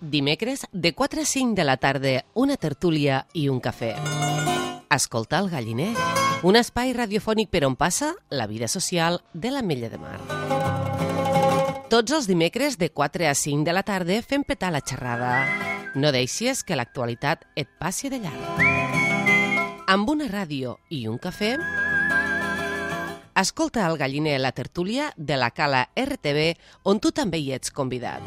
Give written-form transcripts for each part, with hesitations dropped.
Dimecres, de 4 a 5 de la tarda, una tertúlia i un cafè. Escolta el Galliner, un espai radiofònic per on passa la vida social de l'Ametlla de Mar. Tots els dimecres, de 4 a 5 de la tarda, fem petar la xerrada. No deixis que l'actualitat et passi de llarg. Amb una ràdio i un cafè, escolta el Galliner, la tertúlia de la Cala RTV, on tu també hi ets convidat.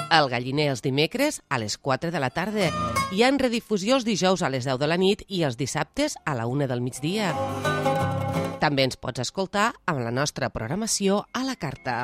El Galliner els dimecres a les 4 de la tarda. Hi ha redifusió els dijous a les 10 de la nit i els dissabtes a la 1 del migdia. També ens pots escoltar amb la nostra programació a la carta.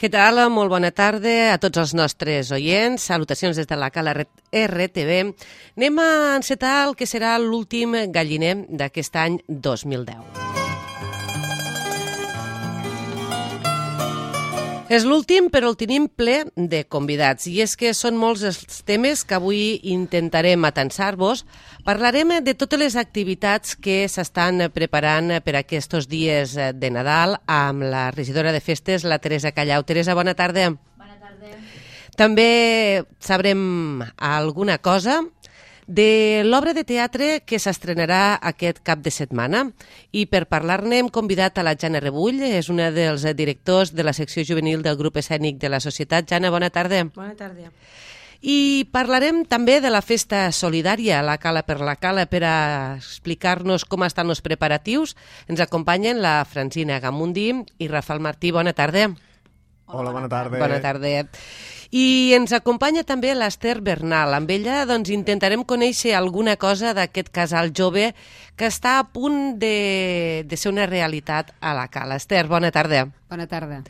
Què tal? Molt bona tarda a tots els nostres oients. Salutacions des de la Cala RTV. Anem a encetar el que serà l'últim Galliner d'aquest any 2010. És l'últim, però el tenim ple de convidats. I és que són molts els temes que avui intentarem atansar-vos. Parlarem de totes les activitats que s'estan preparant per aquests dies de Nadal amb la regidora de festes, la Teresa Callau. Teresa, bona tarda. Bona tarda. També sabrem alguna cosa de l'obra de teatre que s'estrenarà aquest cap de setmana. I per parlar-ne hem convidat a la Jana Rebull, és una dels directors de la secció juvenil del grup escènic de la Societat. Jana, bona tarda. Bona tarda. I parlarem també de la festa solidària, la Cala per la Cala, per a explicar-nos com estan els preparatius. Ens acompanyen la Francina Gamundi i Rafael Martí. Bona tarda. Hola, bona tarda. Bona tarda. I ens acompanya també l'Ester Bernal. Amb ella intentarem conèixer alguna cosa d'aquest casal jove que està a punt de ser una realitat a la Cala. Ester, bona tarda. Bona tarda.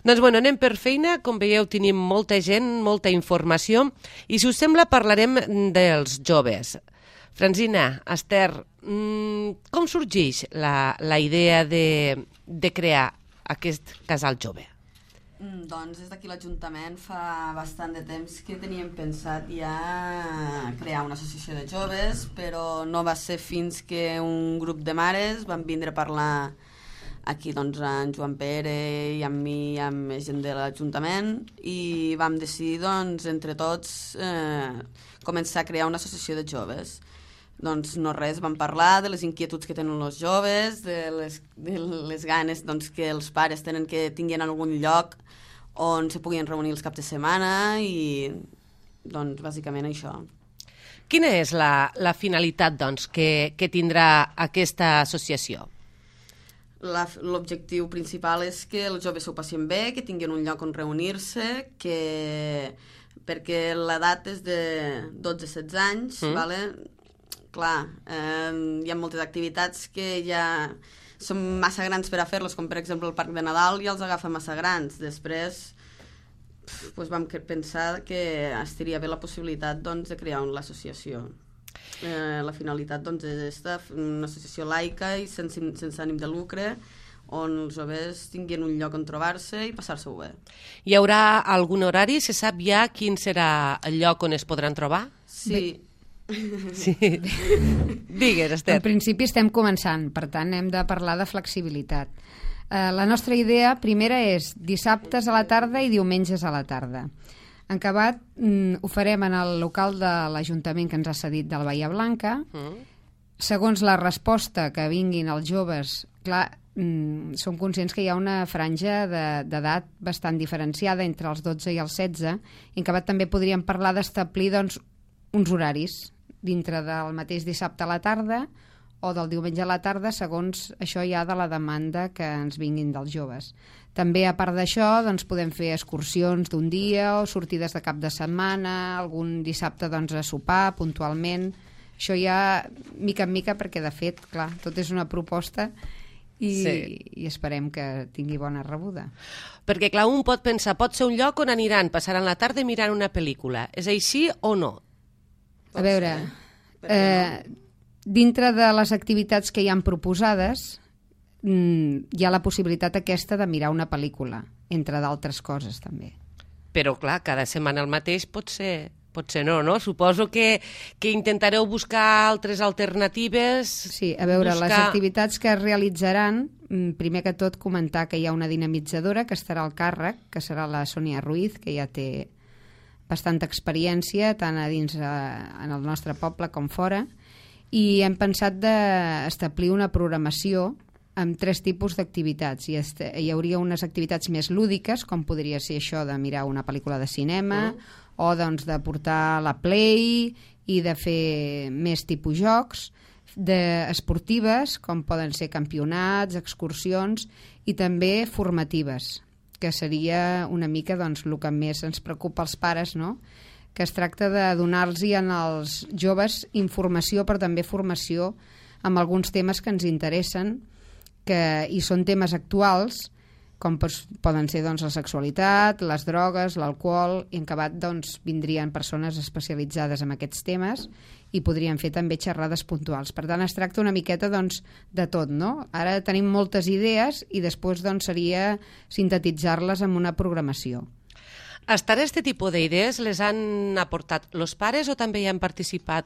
Doncs anem per feina. Com veieu, tenim molta gent, molta informació. I si us sembla, parlarem dels joves. Francina, Ester, com sorgeix la idea de crear aquest casal jove? Doncs des d'aquí l'Ajuntament fa bastant de temps que teníem pensat ja crear una associació de joves, però no va ser fins que un grup de mares van vindre a parlar aquí doncs en Joan Pere i amb mi i amb més gent de l'Ajuntament i vam decidir doncs entre tots començar a crear una associació de joves. Doncs no res, vam parlar de les inquietuds que tenen els joves, de les ganes doncs, que els pares tenen que tinguin algun lloc on se puguin reunir els caps de setmana i doncs bàsicament això. Quina és la finalitat doncs, que tindrà aquesta associació? L'objectiu principal és que els joves s'ho passin bé, que tinguin un lloc on reunir-se, perquè l'edat és de 12-16 anys, vale? Clar, hi ha moltes activitats que ja són massa grans per a fer-los, com per exemple el Parc de Nadal ja els agafa massa grans. Després vam pensar que estaria bé la possibilitat de crear l'associació. La finalitat és una associació laica i sense ànim de lucre on els joves tinguin un lloc on trobar-se i passar-se-ho bé. Hi haurà algun horari? Se sap ja quin serà el lloc on es podran trobar? Sí. Sí. Digues, Ester. En principi estem començant, per tant hem de parlar de flexibilitat. La nostra idea primera és dissabtes a la tarda i diumenges a la tarda. En acabat, ho farem en el local de l'Ajuntament que ens ha cedit del Bahia Blanca. Segons la resposta que vinguin els joves, clar, som conscients que hi ha una franja d'edat bastant diferenciada entre els 12 i els 16, i en acabat també podríem parlar d'establir doncs, uns horaris dintre del mateix dissabte a la tarda o del diumenge a la tarda, segons això ja de la demanda que ens vinguin dels joves. També, a part d'això, doncs, podem fer excursions d'un dia o sortides de cap de setmana, algun dissabte doncs, a sopar puntualment. Això ja mica en mica, perquè de fet, clar, tot és una proposta i esperem que tingui bona rebuda. Perquè, clar, un pot pensar, pot ser un lloc on aniran, passaran la tarda mirant una pel·lícula. És així o no? A veure, dintre de les activitats que hi han proposades, hi ha la possibilitat aquesta de mirar una pel·lícula, entre d'altres coses també. Però, clar, cada setmana el mateix pot ser no? Suposo que intentareu buscar altres alternatives. Sí, a veure, les activitats que es realitzaran, primer que tot comentar que hi ha una dinamitzadora que estarà al càrrec, que serà la Sònia Ruiz, que ja té bastanta experiència, tant a dins en el nostre poble com fora, i hem pensat d'establir una programació amb 3 tipus d'activitats. Hi hauria unes activitats més lúdiques, com podria ser això de mirar una pel·lícula de cinema, o doncs, de portar la Play i de fer més tipus jocs, esportives, com poden ser campionats, excursions, i també formatives, que seria una mica doncs, el que més ens preocupa als pares, no? Que es tracta de donar-los als joves informació, però també formació amb alguns temes que ens interessen, i són temes actuals, com poden ser doncs, la sexualitat, les drogues, l'alcohol, i en acabat doncs, vindrien persones especialitzades en aquests temes i podrien fer també xerrades puntuals. Per tant, es tracta una miqueta doncs, de tot, no? Ara tenim moltes idees i després doncs, seria sintetitzar-les en una programació. Hasta ara, aquest tipus d'idees les han aportat els pares o també hi han participat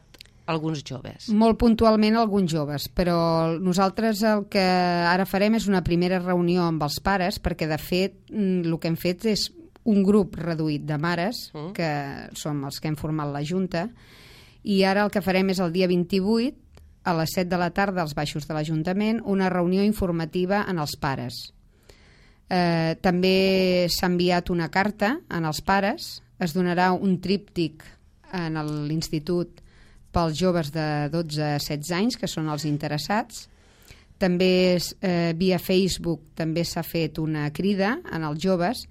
alguns joves? Molt puntualment alguns joves, però nosaltres el que ara farem és una primera reunió amb els pares, perquè de fet el que hem fet és un grup reduït de mares, que som els que hem format la Junta, i ara el que farem és el dia 28, a les 7 de la tarda, als baixos de l'Ajuntament, una reunió informativa en els pares. També s'ha enviat una carta en els pares, es donarà un tríptic en l'institut pels joves de 12 a 16 anys, que són els interessats. També via Facebook també s'ha fet una crida en els joves,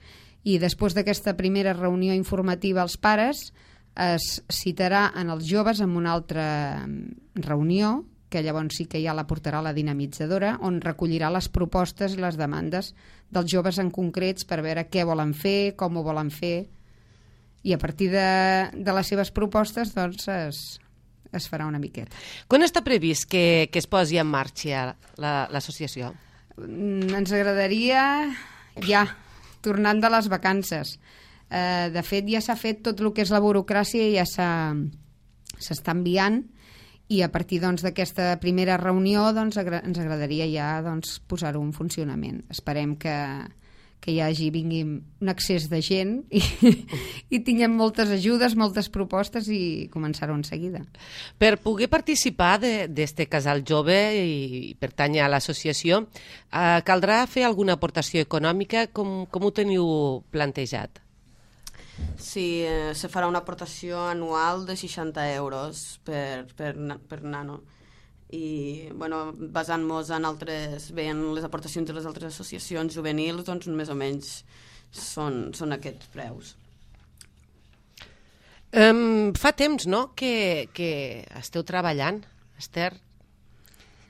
i després d'aquesta primera reunió informativa als pares es citarà en els joves en una altra reunió, que llavors sí que ja la portarà la dinamitzadora, on recollirà les propostes i les demandes dels joves en concrets per veure què volen fer, com ho volen fer, i a partir de les seves propostes doncs es farà una miqueta. Quan està previst que es posi en marxa l'associació? Ens agradaria ja, tornant de les vacances. De fet, ja s'ha fet tot el que és la burocràcia i ja s'està enviant, i a partir d'aquesta primera reunió ens agradaria ja posar-ho en funcionament. Esperem que vingui un excés de gent i tinguem moltes ajudes, moltes propostes i començar-ho en seguida. Per poder participar d'este casal jove i pertànyer a l'associació, caldrà fer alguna aportació econòmica? Com ho teniu plantejat? Sí, se farà una aportació anual de 60 euros per nano. I basant-nos en les aportacions de les altres associacions juvenils, doncs més o menys són aquests preus. Fa temps, no?, que esteu treballant, Esther?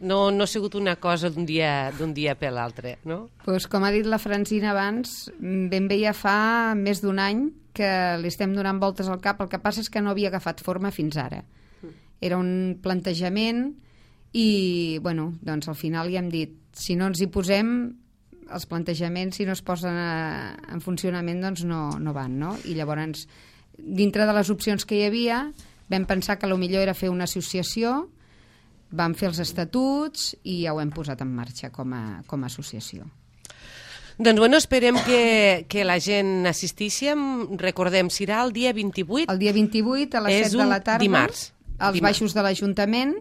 No ha sigut una cosa d'un dia per l'altre, no? Pues, com ha dit la Francina abans, ben bé ja fa més d'un any que li estem donant voltes al cap. El que passa és que no havia agafat forma fins ara. Era un plantejament i, doncs al final ja hem dit, si no ens hi posem, els plantejaments, si no es posen en funcionament, doncs no van, no? I llavors, dintre de les opcions que hi havia, vam pensar que el millor era fer una associació. Vam fer els estatuts i ja ho hem posat en marxa com a associació. Doncs bueno, esperem que la gent assisteixi. Recordem, serà el dia 28. El dia 28 a les 7 de la tarda. Dimarts. Als baixos de l'Ajuntament,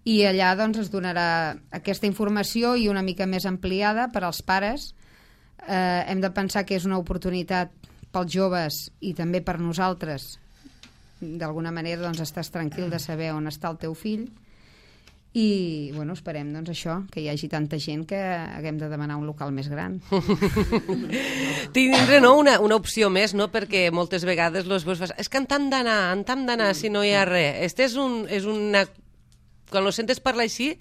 i allà doncs, es donarà aquesta informació i una mica més ampliada per als pares. Hem de pensar que és una oportunitat pels joves i també per nosaltres. D'alguna manera doncs, estàs tranquil de saber on està el teu fill. I bueno, esperem doncs, això, que hi hagi tanta gent que haguem de demanar un local més gran. Tindre, no, una opció més, no? Perquè moltes vegades els veus, és que en t'han d'anar si no hi ha res. És una... Quan ho sentes parlar així,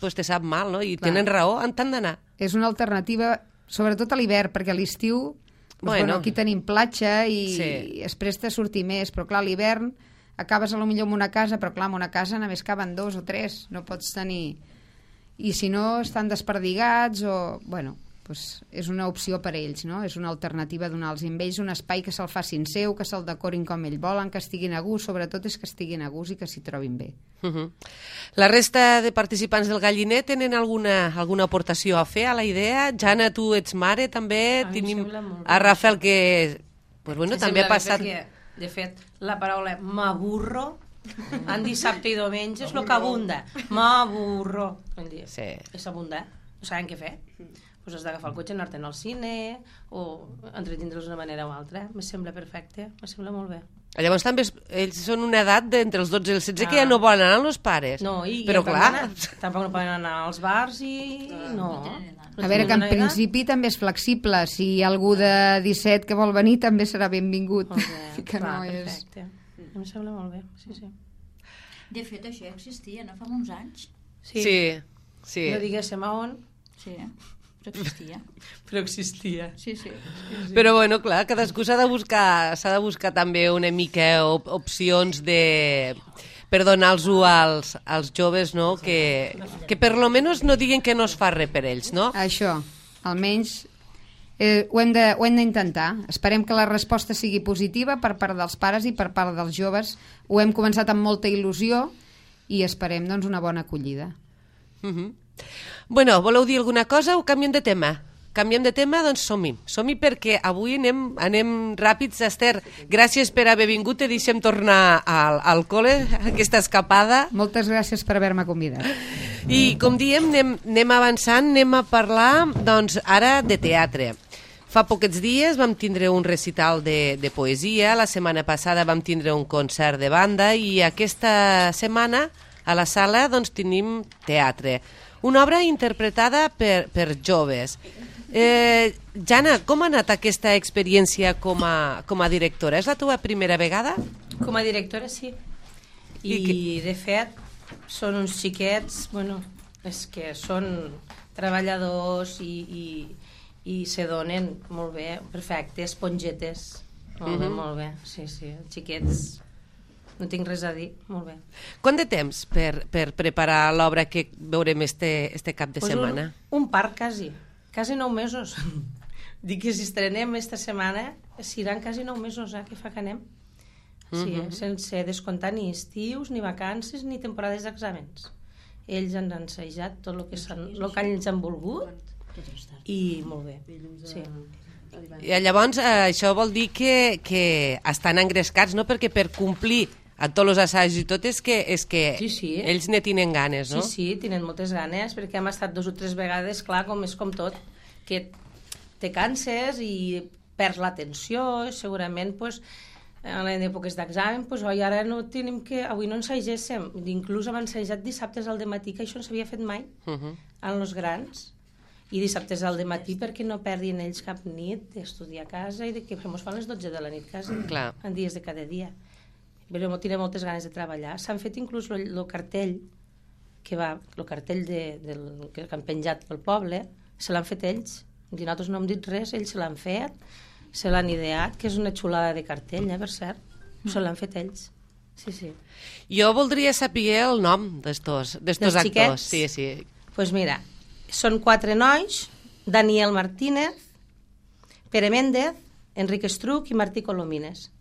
pues te sap mal, no? I tenen raó, en t'han d'anar. És una alternativa, sobretot a l'hivern, perquè a l'estiu bueno, aquí tenim platja i es presta a sortir més, però clar, a l'hivern acabes potser en una casa, però clar, en una casa només caben 2 o 3, no pots tenir... I si no, estan desperdigats o... Bueno, doncs és una opció per a ells, no? És una alternativa donar-los a ells un espai que se'l facin seu, que se'l decorin com ells volen, que estiguin a gust, sobretot és que estiguin a gust i que s'hi trobin bé. La resta de participants del Galliner tenen alguna aportació a fer a la idea? Jana, tu ets mare, també. Tenim a Rafael, que pues bueno, també ha passat... De fet, la paraula m'aburro en dissabte i diumenge és el que abunda. M'aburro. Sí. És abundar, no saben què fer. Pues has d'agafar el cotxe, anar-te'n al cine o entretindre'ls d'una manera o altra. Me sembla perfecte, me sembla molt bé. Llavors també ells són una edat d'entre els 12 i els 16 que ja no volen anar als pares. No, però clar... Tampoc no poden anar als bars i... No. A veure, que en principi també és flexible. Si hi ha algú de 17 que vol venir, també serà benvingut. Que no és... Perfecte. Em sembla molt bé, sí. De fet, això existia, no fa uns anys? Sí. No diguéssim a on. Sí, però existia. Però existia. Sí. Però bueno, clar, cadascú s'ha de buscar també una mica opcions per donar-los als joves, no? Que per lo menos no diguen que no es fa res per ells, no? Això, almenys ho hem d'intentar. Esperem que la resposta sigui positiva per part dels pares i per part dels joves. Ho hem començat amb molta il·lusió i esperem doncs, una bona acollida. Bueno, voleu dir alguna cosa o canviem de tema? Canviem de tema, doncs som-hi perquè avui anem ràpids. Esther, gràcies per haver vingut, te deixem tornar al col·le, aquesta escapada. Moltes gràcies per haver-me convidat. I com diem, anem avançant, anem a parlar doncs, ara de teatre. Fa poquets dies vam tindre un recital de poesia, la setmana passada vam tindre un concert de banda i aquesta setmana a la sala doncs, tenim teatre. Una obra interpretada per joves. Jana, com ha anat aquesta experiència com a directora? És la teva primera vegada? Com a directora, sí. I de fet, són uns xiquets, bueno, és que són treballadors i se donen molt bé, perfecte, espongetes, molt bé, sí, xiquets, no tinc res a dir, molt bé. Quant de temps per preparar l'obra que veurem este cap de setmana? Un part, quasi 9 mesos. Dic que si estrenem esta setmana, seran quasi 9 mesos que fa que anem. Sí, sense descomptar ni estius, ni vacances, ni temporades d'exàmens. Ells han ensajat tot el que ells han volgut i molt bé. Sí. I llavors això vol dir que estan engrescats, no? Perquè per complir a tots els assajos i tot és que sí. Ells ne tenen ganes, no? Sí, tenen moltes ganes, perquè hem estat 2 o 3 vegades, clar, és com tot, que te canses i perds l'atenció, segurament, pues, en èpoques d'examen, pues, ara no tenim avui no ensagéssim, inclús hem ensajat dissabtes al dematí, que això no s'havia fet mai, en els grans, i dissabtes al dematí perquè no perdin ells cap nit d'estudiar a casa i que ens fan les 12 de la nit quasi, en dies de cada dia. Però tenen moltes ganes de treballar. S'han fet inclús el cartell que han penjat pel poble, se l'han fet ells. Nosaltres no hem dit res, ells se l'han fet, se l'han ideat, que és una xulada de cartell, per cert. Se l'han fet ells. Sí. Jo voldria saber el nom d'estos actors. Sí. Pues mira, són 4 nois, Daniel Martínez, Pere Méndez, Enrique Estruc i Martí Colomines.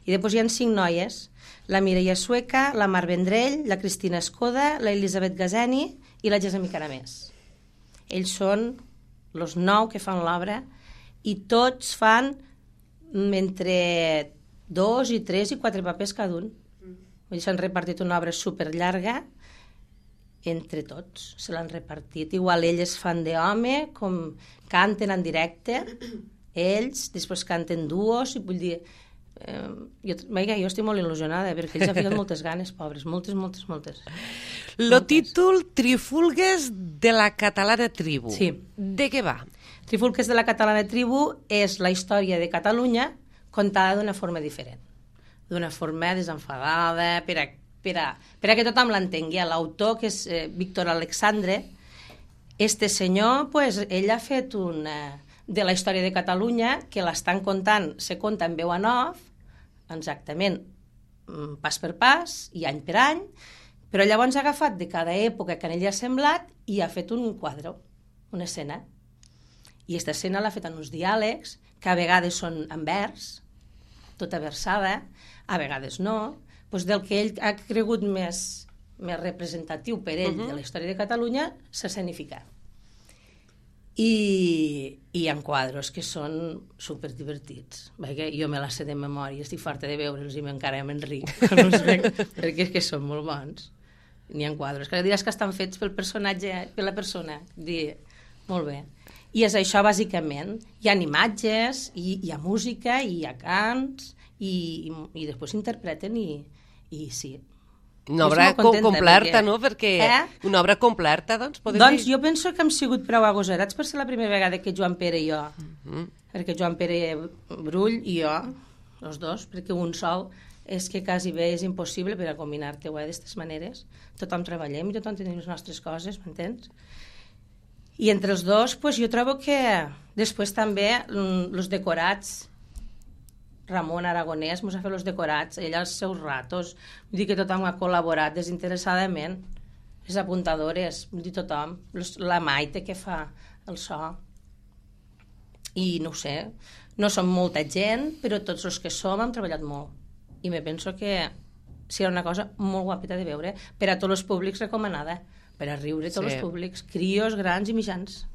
I després hi ha 5 noies, la Mireia Sueca, la Mar Vendrell, la Cristina Escoda, la Elisabet Gazeni i la Gesami Caramés. Ells són els 9 que fan l'obra, i tots fan entre 2 i 3 i 4 papers cada un. Vull dir, s'han repartit una obra superllarga entre tots, se l'han repartit. Igual elles fan d'home, com canten en directe, ells, després canten duos, i vull dir... jo estic molt il·lusionada, perquè ells han ficat moltes ganes, pobres, moltes. Lo títol Trifulgues de la catalana tribu. Sí. De què va? Trifulgues de la catalana tribu és la història de Catalunya contada d'una forma diferent, d'una forma desenfadada, per a que tothom l'entengui. L'autor, que és Víctor Alexandre, este senyor, pues, ell ha fet de la història de Catalunya, que l'estan contant, se conta en veu en off, exactament, pas per pas i any per any, però llavors ha agafat de cada època que en ell ha semblat i ha fet un quadre, una escena. I aquesta escena l'ha fet en uns diàlegs, que a vegades són en vers, tota versada, a vegades no, doncs del que ell ha cregut més representatiu per ell de la història de Catalunya, s'ha escenificat. I en quadros que són superdivertits, perquè jo me la sé de memòria, estic farta de veure'ls i encara m'enric quan els veig, perquè és que són molt bons. N'hi ha quadros que diràs que estan fets pel personatge, per la persona. Molt bé. I és això, bàsicament. Hi ha imatges, hi ha música, hi ha cants, i després s'interpreten i sí. Una obra completa, no? Perquè una obra completa, doncs, podem dir... Doncs jo penso que hem sigut prou agosarats per ser la primera vegada que Joan Pere i jo, perquè Joan Pere Brull i jo, els dos, perquè un sol és que quasi bé és impossible per a combinar-te d'aquestes maneres. Tothom treballem i tothom tenim les nostres coses, m'entens? I entre els dos, pues, jo trobo que després també els decorats, Ramon Aragonès mos ha fet els decorats, ell els seus ratos, vull dir que tothom ha col·laborat desinteressadament, les apuntadores, vull dir tothom, la Maite que fa el so, i no ho sé, no som molta gent, però tots els que som hem treballat molt, i me penso que serà una cosa molt guapeta de veure, per a tots els públics recomanada, per a riure tots els públics, crios, grans i mitjans.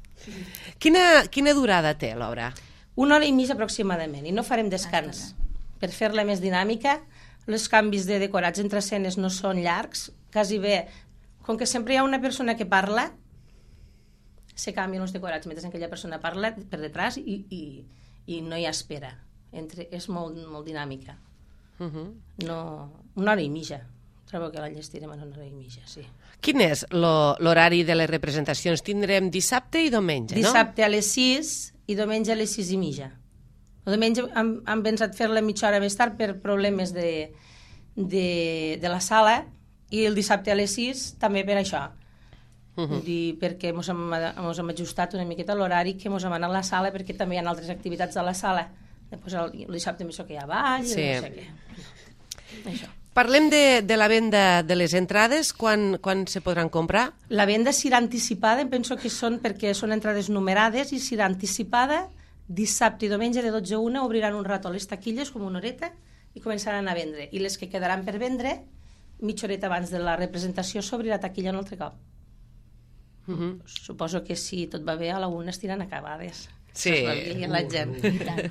Quina durada té l'obra? 1 hora i mitja aproximadament, i no farem descans. Per fer-la més dinàmica, els canvis de decorats entre escenes no són llargs, quasi bé, com que sempre hi ha una persona que parla, se canvien els decorats mentre aquella persona parla per detrás i no hi ha espera. És molt dinàmica. No, 1 hora i mitja. Trobo que la llestirem en 1 hora i mitja, sí. Quin és l'horari de les representacions? Tindrem dissabte i diumenge, no? Dissabte a les 6 i diumenge a les 6 i mitja. El diumenge hem pensat fer-la mitja hora més tard per problemes de la sala, i el dissabte a les 6 també per això. Vull dir, perquè ens hem ajustat una miqueta l'horari que ens hem anat a la sala, perquè també hi ha altres activitats a la sala. Després el dissabte més que hi ha ball, i no sé què. Això. Parlem de la venda de les entrades, quan se podran comprar? La venda serà anticipada, penso que perquè són entrades numerades, i serà anticipada dissabte i diumenge de 12 a 1, obriran un rato a les taquilles, com una horeta, i començaran a vendre. I les que quedaran per vendre, mitja horeta abans de la representació, s'obrirà taquilla un altre cop. Suposo que si tot va bé, a la 1 estiran acabades. Sí. La gent.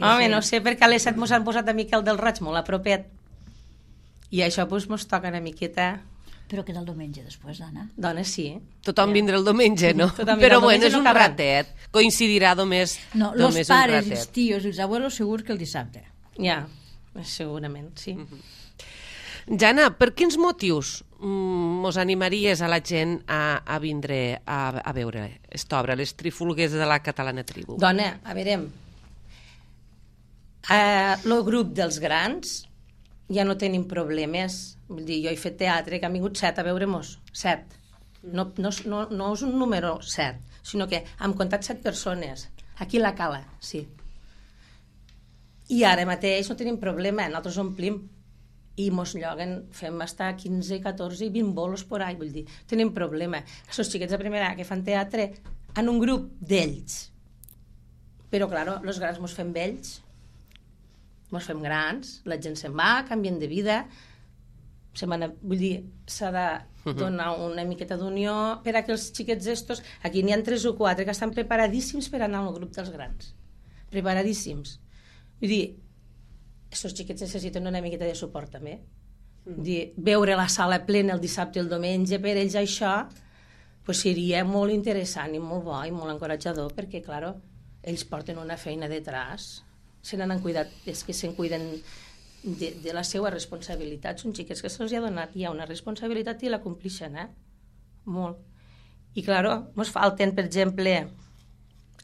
Home, no sé, perquè a les 7 mos han posat a Miquel del Roig molt a propet. I això doncs mos toca una miqueta... Però queda el diumenge després, Anna. Dona, sí. Tothom vindrà el diumenge, no? Però bueno, és un ratet. Coincidirà només un ratet. No, els pares, els tios i els abuelos segur que el dissabte. Ja, segurament, sí. Jana, per quins motius mos animaries a la gent a vindre a veure aquesta obra, Les Trifulgues de la catalana tribu? Dona, a veure, el grup dels grans ja no tenim problemes. Vull dir, jo he fet teatre, que han vingut 7 a veure-mos. 7. No és un número 7, sinó que hem comptat 7 persones. Aquí a la Cala, sí. I ara mateix no tenim problema, nosaltres omplim. I mos lloguen, fem estar 15, 14 i 20 bolos por ahí, vull dir, tenim problema. Els xiquets de primera que fan teatre en un grup d'ells. Però, claro, els grans mos fem vells, mos fem grans, la gent se'n va, canvien de vida, vull dir, s'ha de donar una miqueta d'unió per a que els xiquets estos, aquí n'hi ha 3 o 4 que estan preparadíssims per anar al grup dels grans, preparadíssims. Vull dir, aquests xiquets necessiten una miqueta de suport també. Dir, veure la sala plena el dissabte i el diumenge, per ells això pues, seria molt interessant i molt bo i molt encoratjador, perquè, clar, ells porten una feina detrás, se n'han cuidat, és que se'n cuiden de la seva responsabilitat. Són xiquets que se'ls ha donat ja una responsabilitat i la complixen, molt. I, clar, ens falten, per exemple,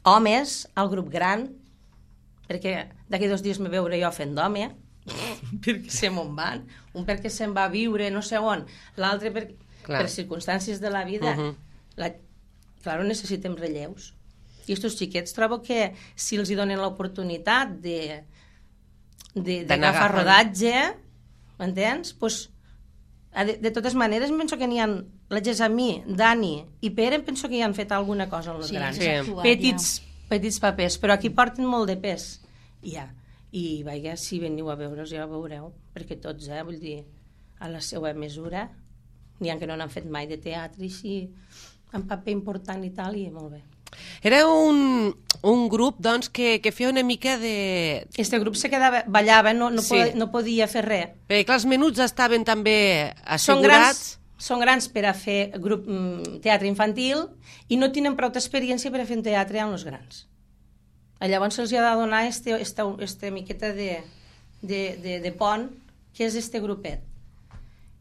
homes al grup gran, perquè d'aquí 2 dies me veuré jo fent d'home, perquè se me'n van, un perquè se'n va a viure no sé on, l'altre per circumstàncies de la vida. Clar, necessitem relleus. I aquests xiquets trobo que si els hi donen l'oportunitat d'agafar rodatge, m'entens? Pues, de totes maneres, penso que n'hi ha la Gessamí, Dani i Pere, penso que hi han fet alguna cosa amb els grans. Petits papers, però aquí porten molt de pes. I vaja, si veniu a veure's ja ho veureu, perquè tots, vull dir, a la seva mesura, n'hi ha que no n'han fet mai de teatre, i així, amb paper important i tal, i molt bé. Era un grup, doncs, que feia una mica de... Este grup se quedava, ballava, no podia fer res. Perquè, clar, els menuts estaven també assegurats. Són grans per a fer teatre infantil i no tenen prou experiència per a fer teatre amb els grans. Llavors se'ls ha de donar este miqueta de pont, que és este grupet.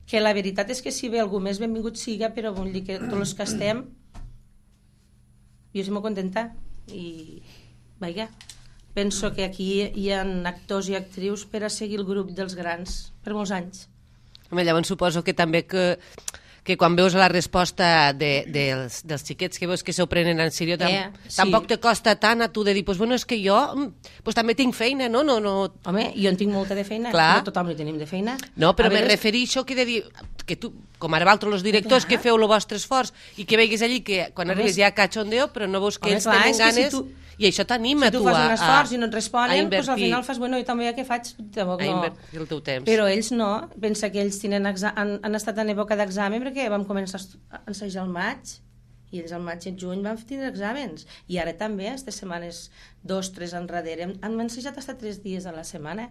Que la veritat és que si ve algú més benvingut siga, però vull dir que tots els que estem jo estic molt contenta i vaja, penso que aquí hi ha actors i actrius per a seguir el grup dels grans per molts anys. Home, llavors suposo que també que quan veus la resposta dels xiquets que veus que s'ho prenen en sèrio, tampoc te costa tant a tu de dir, pues, bueno, és que jo també tinc feina, no? Home, jo en tinc molta de feina, no tothom hi tenim de feina. No, però me refereixo que de dir, que tu, com ara vosaltres, els directors, que feu el vostre esforç i que veiguis allí que quan arribes hi ha cachondeo, però no veus que ells tenen ganes... I això t'anima, tu, si tu fas un esforç i no et responen, doncs al final fas, bueno, jo també què faig? A invertir el teu temps. Però ells no. Pensa que ells han estat en època d'examen perquè vam començar a ensejar al maig i ells al maig i el juny van tindre exàmens. I ara també, aquestes setmanes 2, 3 enrere, han ensejat fins a 3 dies a la setmana.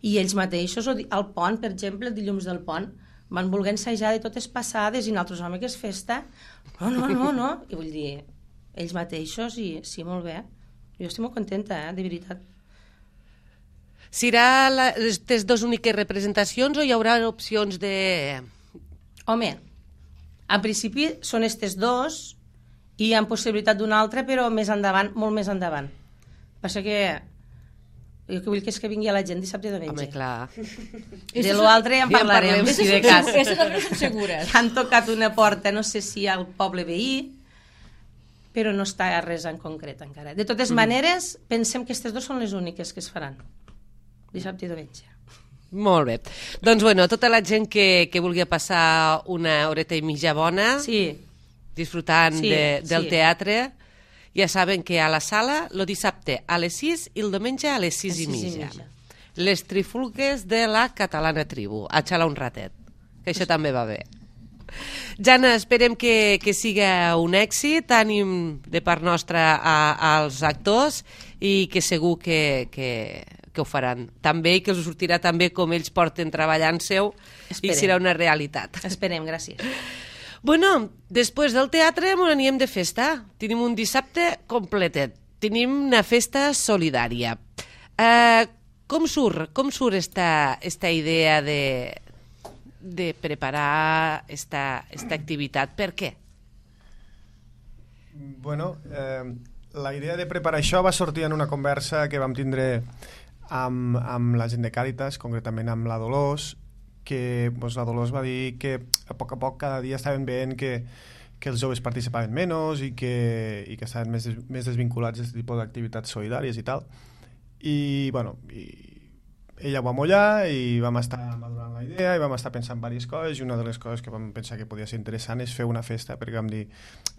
I ells mateixos, al pont, per exemple, el dilluns del pont, van voler ensejar de totes passades i nosaltres, home, que és festa. No. I vull dir... ells mateixos, i sí, molt bé. Jo estic molt contenta, de veritat. Serà les 2 úniques representacions o hi haurà opcions de... Home, en principi són aquestes 2 i hi ha possibilitat d'una altra, però més endavant, molt més endavant. Passa que jo que vull que és que vingui la gent dissabte i diumenge. Home, clar. De l'altre ja en parlarem, si de cas. Aquestes no són segures. Han tocat una porta, no sé si al poble veí, però no està res en concret encara. De totes maneres, pensem que aquestes 2 són les úniques que es faran, dissabte i diumenge. Molt bé. Doncs, bueno, tota la gent que vulgui passar una horeta i mitja bona, disfrutant del teatre, ja saben que a la sala, el dissabte a les 6 i el diumenge a les 6 i mitja. Les trifulgues de la Catalana Tribu. A xalar un ratet, que això també va bé. Jana, esperem que siga un èxit, ànim de part nostra als actors i que segur que ho faran també i que els sortirà també com ells porten treballant-seu i serà una realitat. Esperem, gràcies. Bueno, després del teatre anirem de festa. Tenim un dissabte completet. Tenim una festa solidària. Com surt esta idea de preparar esta activitat? Per què? Bueno, la idea de preparar això va sortir en una conversa que vam tindre amb la gent de Càritas, concretament amb la Dolors, que la Dolors va dir que a poc cada dia estaven veient que els joves participaven menys i que estaven més desvinculats d'aquest tipus d'activitats solidàries i tal. I, bueno, ella ho va mullar i vam estar madurant la idea i vam estar pensant en diverses coses, i una de les coses que vam pensar que podia ser interessant és fer una festa, perquè vam dir,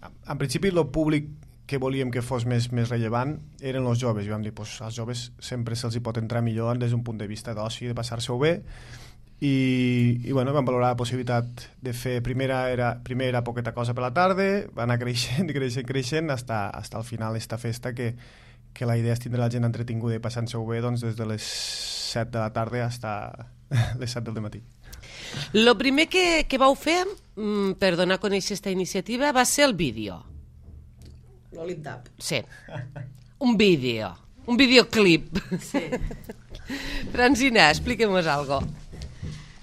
en principi el públic que volíem que fos més rellevant eren els joves, i vam dir, als joves sempre se'ls hi pot entrar millor des d'un punt de vista d'oci, de passar-se-ho bé, i bueno, vam valorar la possibilitat de fer primer era poqueta cosa per la tarda, va anar creixent hasta al final esta festa que la idea és tindre la gent entretinguda i passant-se-ho bé doncs, des de les 7 de la tarda fins les 7 del matí. Lo primer que vau fer per donar a conèixer aquesta iniciativa va ser el vídeo. L'Olipdap. Sí, un videoclip. Sí. Francina, expliquem-nos algo.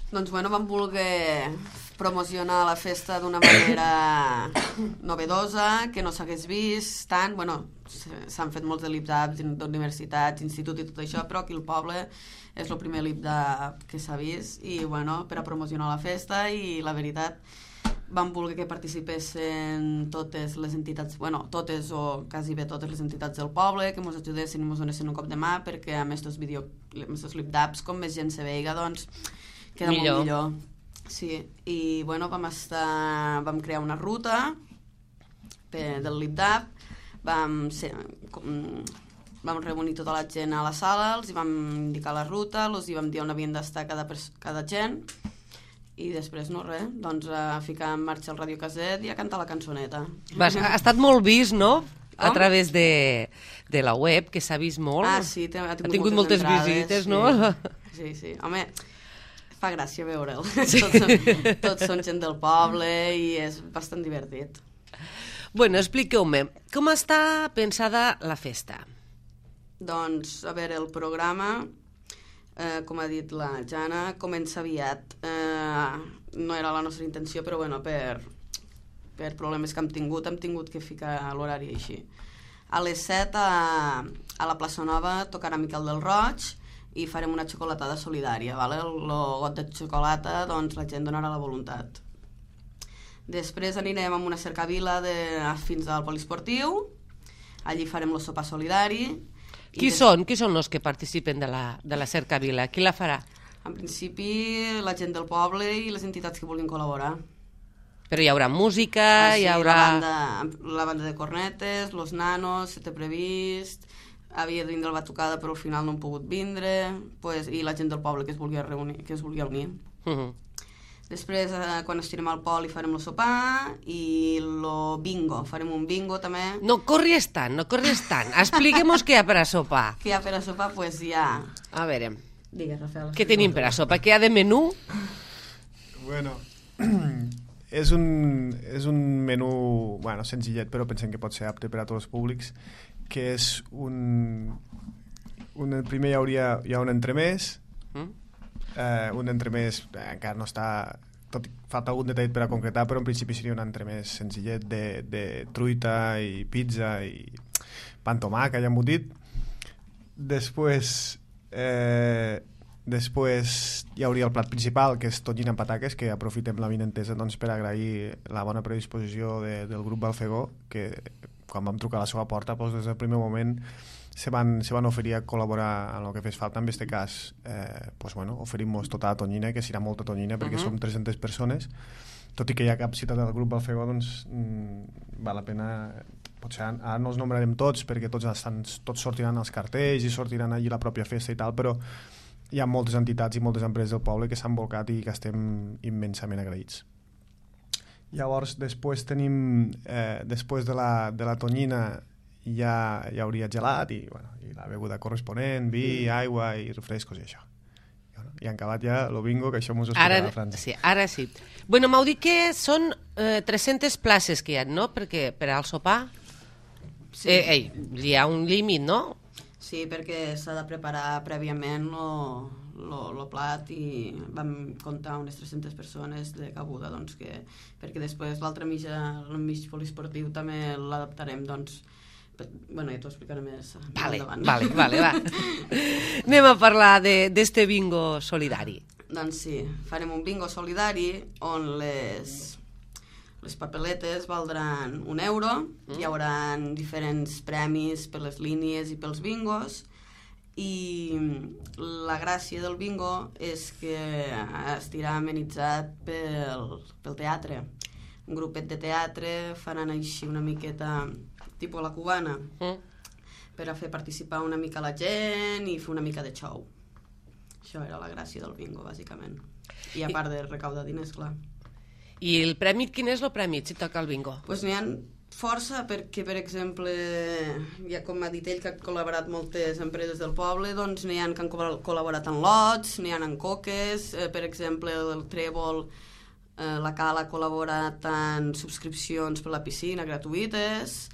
Doncs bueno, vam voler promocionar la festa d'una manera novedosa, que no s'hagués vist tant. Bueno, s'han fet molts de lip-daps d'universitats, institut i tot això, però aquí al poble és el primer lip-dap que s'ha vist i bueno, per a promocionar la festa, i la veritat vam voler que participessin totes les entitats, bueno, totes o quasi bé totes les entitats del poble, que ens ajudessin i ens donessin un cop de mà, perquè amb aquests lip-daps, com més gent se veiga, doncs queda molt millor. Sí, i bueno, vam crear una ruta del lip-dap, vam reunir tota la gent a la sala, els hi vam indicar la ruta, els hi vam dir on havien d'estar cada gent, i després no res, doncs a ficar en marxa el radiocasset i a cantar la cançoneta. Ha estat molt vist, no?, a través de la web, que s'ha vist molt. Ah, sí, ha tingut moltes visites, no? Sí, sí. Home, fa gràcia veure'l. Tots són gent del poble i és bastant divertit. Bueno, expliqueu-me, com està pensada la festa? Doncs, a veure, el programa, com ha dit la Jana, comença aviat. No era la nostra intenció, però bueno, per problemes que hem tingut que ficar l'horari així. A les 7 a la plaça Nova tocarà Miquel del Roig i farem una xocolatada solidària, ¿vale? El got de xocolata, doncs la gent donarà la voluntat. Després anirem amb una cercavila fins al poliesportiu, allí farem el sopar solidari. Qui són els que participen de la cercavila? Qui la farà? En principi, la gent del poble i les entitats que vulguin col·laborar. Però hi haurà música, sí, hi haurà... La banda de cornetes, los nanos, se té previst, havia de vindre la batucada però al final no han pogut vindre, i la gent del poble que es vulgui unir. Després, quan estirem al pol, farem el sopar i el bingo. Farem un bingo, també. No corris tant. Expliquem-nos què hi ha per a sopar. Què hi ha per a sopar? Doncs hi ha... A veure... Digues, Rafael. Què tenim per a sopar? Què hi ha de menú? Bueno, és un menú, bueno, senzillet, però pensem que pot ser apte per a tots els públics, que és primer hi ha un entremès, un entremès encara no està, falta algun detall per a concretar, però en principi seria un entremès senzillet de truita i pizza i pa amb tomàquet i embotit. Després hi hauria el plat principal, que és tonyina amb pataques, que aprofitem la vinentesa doncs, per agrair la bona predisposició del grup Balfegó, que quan vam trucar a la seva porta, doncs, des del primer moment se van oferir a col·laborar en el que fes falta. En aquest cas, oferim-nos tota la tonyina, que serà molta tonyina, perquè som 300 persones. Tot i que hi ha cap ciutat del grup Balfegó, doncs val la pena... Potser ara no els nombrarem tots, perquè tots sortiran als cartells i sortiran allí la pròpia festa i tal, però hi ha moltes entitats i moltes empreses del poble que s'han volcat i que estem immensament agraïts. Llavors, després tenim, després de la tonyina, hi hauria gelat i la beguda corresponent, vi, aigua i refrescos i això. I han acabat ja el bingo, que això m'ho explicarà la França. Sí, ara sí. Bueno, m'heu dit que són 300 places que hi ha, no? Perquè per al sopar sí. Hi ha un límit, no? Sí, perquè s'ha de preparar prèviament el plat i vam comptar unes 300 persones de cabuda, doncs, perquè després l'altre mig poliesportiu també l'adaptarem, doncs, bueno, ja t'ho explicaré més endavant. Vale, va. Anem a parlar d'este bingo solidari. Doncs sí, farem un bingo solidari on les papeletes valdran €1, hi haurà diferents premis per les línies i pels bingos, i la gràcia del bingo és que estirà amenitzat pel teatre. Un grupet de teatre faran així una miqueta tipus la cubana, per a fer participar una mica la gent i fer una mica de show. Això era la gràcia del bingo, bàsicament. I a part de recaudar diners, clar. I el premi, quin és el premi, si toca el bingo? Doncs n'hi ha força perquè, per exemple, ja com ha dit ell, que han col·laborat moltes empreses del poble, doncs n'hi ha que han col·laborat en lots, n'hi ha en coques, per exemple, el Trèvol, la Cala ha col·laborat en subscripcions per la piscina gratuïtes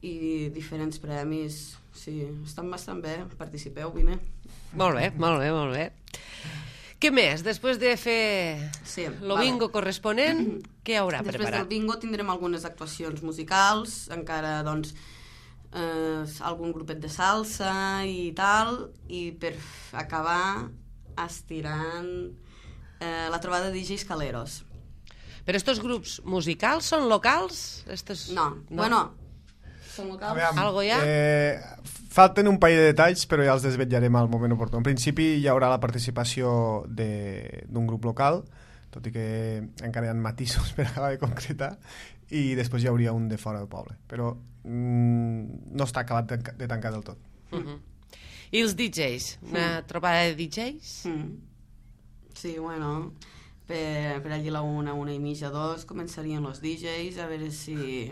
i diferents premis. Sí, estan bastant bé, participeu, vine. Molt bé, molt bé, molt bé. Què més? Després de fer el bingo corresponent, què hi haurà preparat? Després del bingo tindrem algunes actuacions musicals, encara, doncs, algun grupet de salsa i tal, i per acabar estirant la trobada de DJs Caleros. Però estos grups musicals són locals? No, bueno, són locals. Aviam, algo ja? Falten un parell de detalls, però ja els desvetllarem al moment oportú. En principi hi haurà la participació d'un grup local, tot i que encara hi ha matisos per acabar de concretar, i després hi hauria un de fora del poble. Però no està acabat de tancar del tot. I els DJs? Una trobada de DJs? Sí, bueno, per allí la 1:30, 2 començarien els DJs, a veure si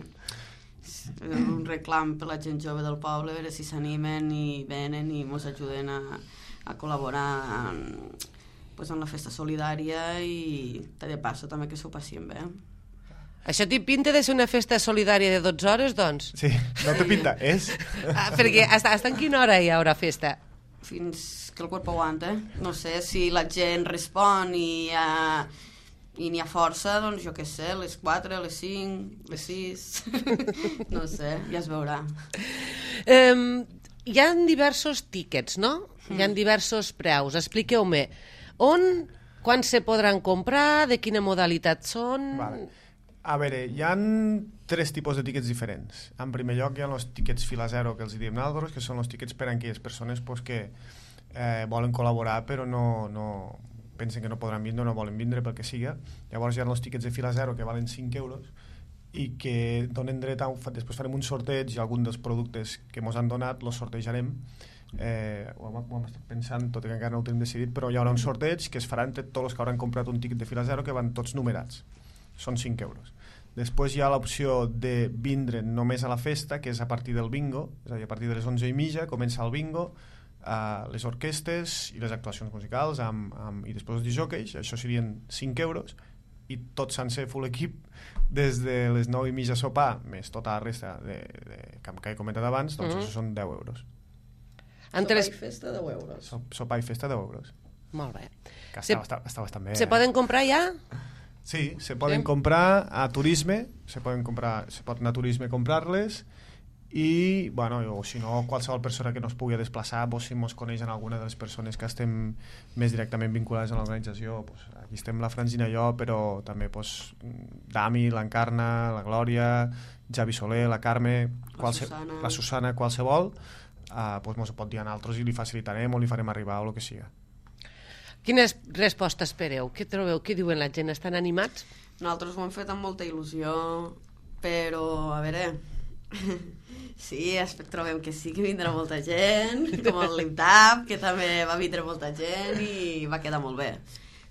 un reclam per la gent jove del poble, a veure si s'animen i venen i ens ajuden a col·laborar en la festa solidària i de passo també que s'ho passem bé. Això té pinta de ser una festa solidària de 12 hores, doncs? Sí, no té pinta, és? Perquè hasta en quina hora hi haurà festa? Fins que el cuerpo aguanta. No sé, si la gent respon i n'hi ha força, doncs jo què sé, les 4, les 5, les 6... no sé, ja es veurà. Hi ha diversos tíquets, no? Hi ha diversos preus. Expliqueu-me, quan se podran comprar, de quina modalitat són... Vale. A veure, hi ha 3 tipus de tíquets diferents. En primer lloc hi ha els tíquets fila zero, que els diem nosaltres, que són els tíquets per a aquelles persones que volen col·laborar però no pensen que no podran vindre o no volen vindre pel que siga. Llavors hi ha els tíquets de fila zero que valen 5 euros i que donen dret a... Després farem un sorteig i algun dels productes que ens han donat els sortejarem. Ho hem estat pensant, tot i que encara no ho tenim decidit, però hi haurà un sorteig que es farà entre tots els que hauran comprat un tíquet de fila zero, que van tots numerats. Són 5 euros. Després hi ha l'opció de vindre només a la festa, que és a partir del bingo, és a dir, a partir de les 11:30 comença el bingo, les orquestes i les actuacions musicals i després els disjòqueis, això serien 5 euros, i tot sencer full equip des de les 9:30 sopar més tota la resta que he comentat abans, doncs això són 10 euros. Sopar i festa 10 euros. Sopar i festa 10 euros. Molt bé. Que està bastant bé. Se poden comprar ja? Sí, se poden comprar a Turisme, se pot anar a Turisme a comprar-les, i, bueno, o si no, qualsevol persona que no es pugui desplaçar, si ens coneix en alguna de les persones que estem més directament vinculades a l'organització, aquí estem la Francina i jo, però també Dami, l'Encarna, la Glòria, Javi Soler, la Carme, la Susana, qualsevol, ens ho pot dir a nosaltres i li facilitarem o li farem arribar o el que siga. Quines respostes espereu? Què trobeu? Què diuen la gent? Estan animats? Nosaltres ho hem fet amb molta il·lusió, però, a veure... Sí, trobem que sí que vindrà molta gent, com el Limtap, que també va vindre molta gent i va quedar molt bé.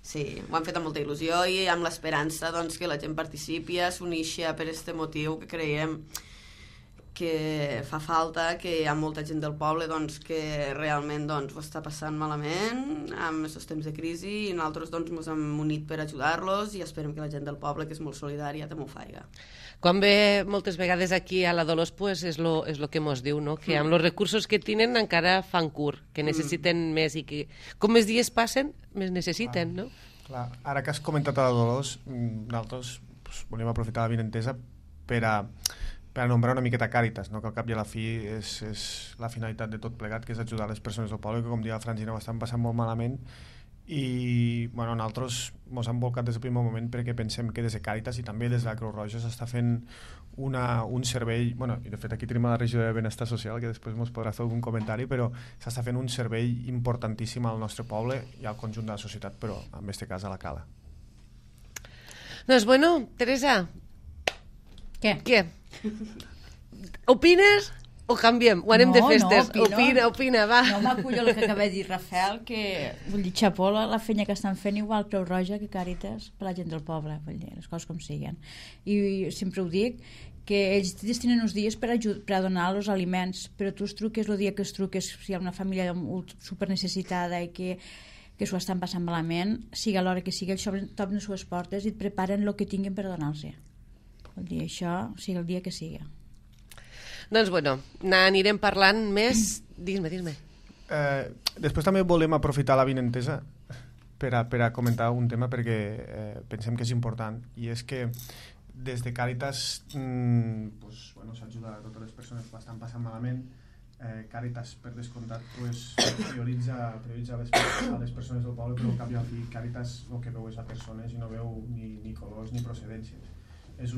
Sí, ho han fet amb molta il·lusió i amb l'esperança que la gent participi, s'uneixi per aquest motiu que creiem que fa falta, que hi ha molta gent del poble que realment ho està passant malament amb aquests temps de crisi i nosaltres ens hem unit per ajudar-los i esperem que la gent del poble, que és molt solidària, també ho faiga. Quan ve moltes vegades aquí a la Dolors, pues és lo que mos diu, no? Que amb els recursos que tenen encara fan curt, que necessiten més i que com més dies passen, més necessiten, no? Clar. Ara que has comentat a la Dolors, nosaltres volíem aprofitar la vinentesa per a nombrar una miqueta Càritas, no? Que al cap i a la fi és la finalitat de tot plegat, que és ajudar les persones del poble, que com deia la Francina ho estan passant molt malament, i nosaltres ens hem volcat des del primer moment perquè pensem que des de Càritas i també des de la Creu Roja s'està fent un servei, i de fet aquí tenim la regió de Benestar Social, que després ens podrà fer algun comentari, però s'està fent un servei importantíssim al nostre poble i al conjunt de la societat, però en aquest cas a la Cala. Doncs bueno, Teresa, Què? Opines O canviem? O anem de festes? No, Opina, va. No m'acullo el que acaba de dir Rafael, que vull dir, xapó la feina que estan fent igual Creu Roja que Càritas per la gent del poble, vull dir, les coses com siguen. I sempre ho dic, que ells destinen uns dies per a donar els aliments, però tu es truques el dia que es truques, si hi ha una família super necessitada i que s'ho estan passant malament, sigui a l'hora que sigui, ells t'obren les seves portes i et preparen el que tinguin per donar-los. Vull dir, això sigui el dia que sigui. Doncs bueno, n'anirem parlant més. Digues-me. Després també volem aprofitar l'avinentesa per a comentar un tema perquè pensem que és important, i és que des de Càritas s'ajuda a totes les persones que ho estan passant malament. Càritas, per descomptat, prioritza a les persones del poble, però al cap i al fi Càritas el que veu és a persones i no veu ni colors ni procedències. És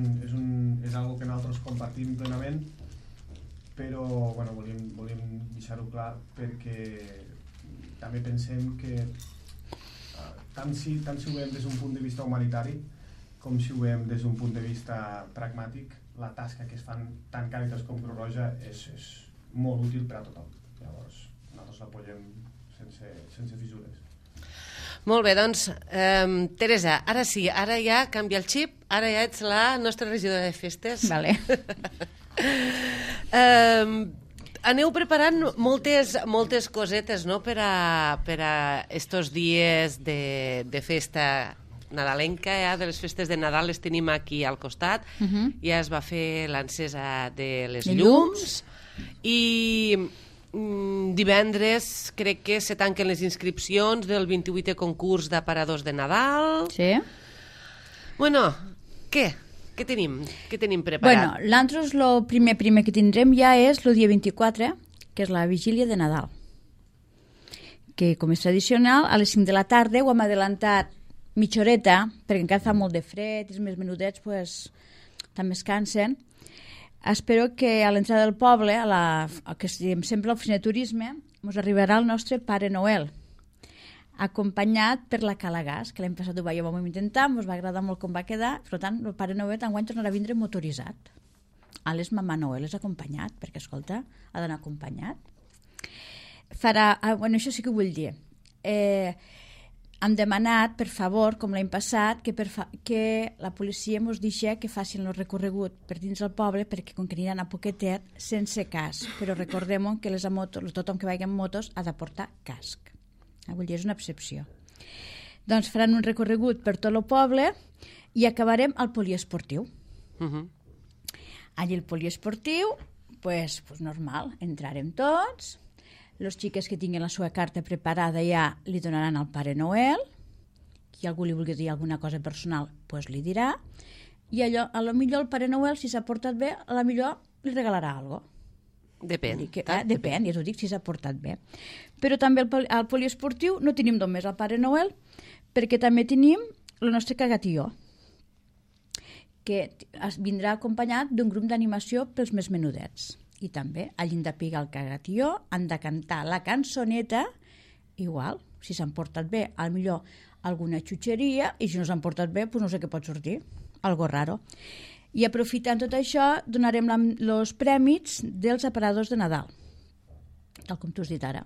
algo que nosaltres compartim plenament, però volíem deixar-ho clar perquè també pensem que tant si ho veiem des d'un punt de vista humanitari com si ho veiem des d'un punt de vista pragmàtic, la tasca que es fan tant Càritas com Creu Roja és molt útil per a tothom. Llavors nosaltres l'apoyem sense fissures. Molt bé, doncs, Teresa, ara sí, ara ja canvia el xip, ara ja ets la nostra regidora de festes. Vale. Aneu preparant moltes cosetes, no?, per a estos dies de festa nadalenca, de les festes de Nadal les tenim aquí al costat. Ja es va fer l'encesa de les llums i divendres crec que se tanquen les inscripcions del 28è concurs d'aparadors de Nadal. Sí. Bueno, què tenim preparat? Bueno, l'altres, el primer que tindrem ja és el dia 24, que és la vigília de Nadal, que com és tradicional, a les 5 de la tarda ho hem adelantat mitja horeta, perquè encara fa molt de fred i els més menudets també es cansen. Espero que a l'entrada del poble, que diem sempre a l'oficina de turisme, ens arribarà el nostre Pare Noel, acompanyat per la Calagas, que l'any passat ho vam intentar, ens va agradar molt com va quedar, per tant, el Pare Noel enguany tornarà a vindre motoritzat. A les Mamà Noel és acompanyat, perquè, escolta, ha d'anar acompanyat. Això sí que ho vull dir. Hem demanat, per favor, com l'any passat, que la policia ens deixi que facin el recorregut per dins del poble, perquè com que aniran a poquetet, sense casc. Però recordem que tothom que vagi amb motos ha de portar casc. Vull dir, és una excepció. Doncs faran un recorregut per tot el poble i acabarem al poliesportiu. Allí el poliesportiu, pues normal, entrarem tots. Les xiques que tinguin la seva carta preparada ja li donaran al Pare Noel. Si algú li vulgui dir alguna cosa personal, pues li dirà. I a lo millor el Pare Noel, si s'ha portat bé, a lo millor li regalarà alguna cosa. Depèn. Depèn, ja t'ho dic, si s'ha portat bé. Però també al poliesportiu no tenim només el Pare Noel, perquè també tenim el nostre cagatió, que vindrà acompanyat d'un grup d'animació pels més menudets. I també, hagin de pigar el cagatió, han de cantar la cançoneta, igual, si s'han portat bé, potser alguna xutxeria, i si no s'han portat bé, doncs no sé què pot sortir, algo raro. I aprofitant tot això, donarem els prèmits dels aparadors de Nadal, tal com tu has dit ara.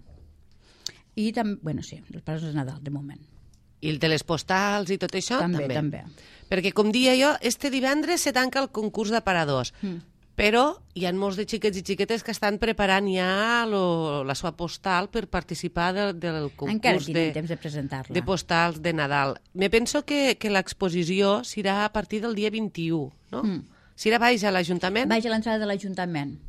I també, sí, els aparadors de Nadal, de moment. I el de les postals i tot això? També. Perquè, com deia jo, este divendres se tanca el concurs d'aparadors, però hi ha molts de xiquets i xiquetes que estan preparant ja la seva postal per participar del concurs temps de presentar-la. De postals de Nadal. Me penso que l'exposició serà a partir del dia 21, no? Serà baix a l'Ajuntament? Baix a l'entrada de l'Ajuntament,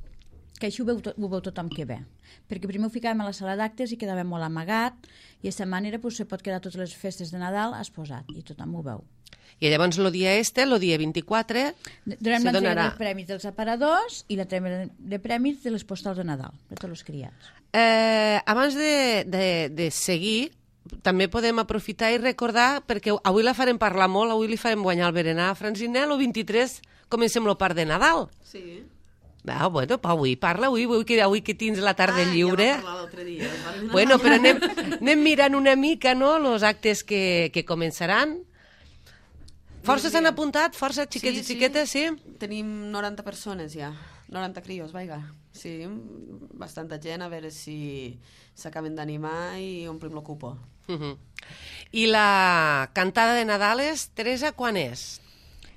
que així ho veu tothom que ve. Perquè primer ho ficàvem a la sala d'actes i quedava molt amagat, i d'aquesta manera se pot quedar totes les festes de Nadal exposat, i tothom ho veu. I llavors el dia 24, donem l'entrega dels premis dels aparadors i l'entrega de premis de les postals de Nadal, de tots els criats. Abans de seguir, també podem aprofitar i recordar, perquè avui la farem parlar molt, avui li farem guanyar el berenar a Francinel, el 23 comencem el part de Nadal. Sí. Bueno, avui parla, avui que tens la tarda lliure. Ja va parlar l'altre dia. Bueno, però anem mirant una mica, no?, els actes que començaran. Força s'han apuntat? Força xiquets i xiquetes, sí? Tenim 90 persones ja, 90 crios, vaiga. Sí, bastanta gent, a veure si s'acaben d'animar i omplim el cupo. I la cantada de Nadales, Teresa, quan és?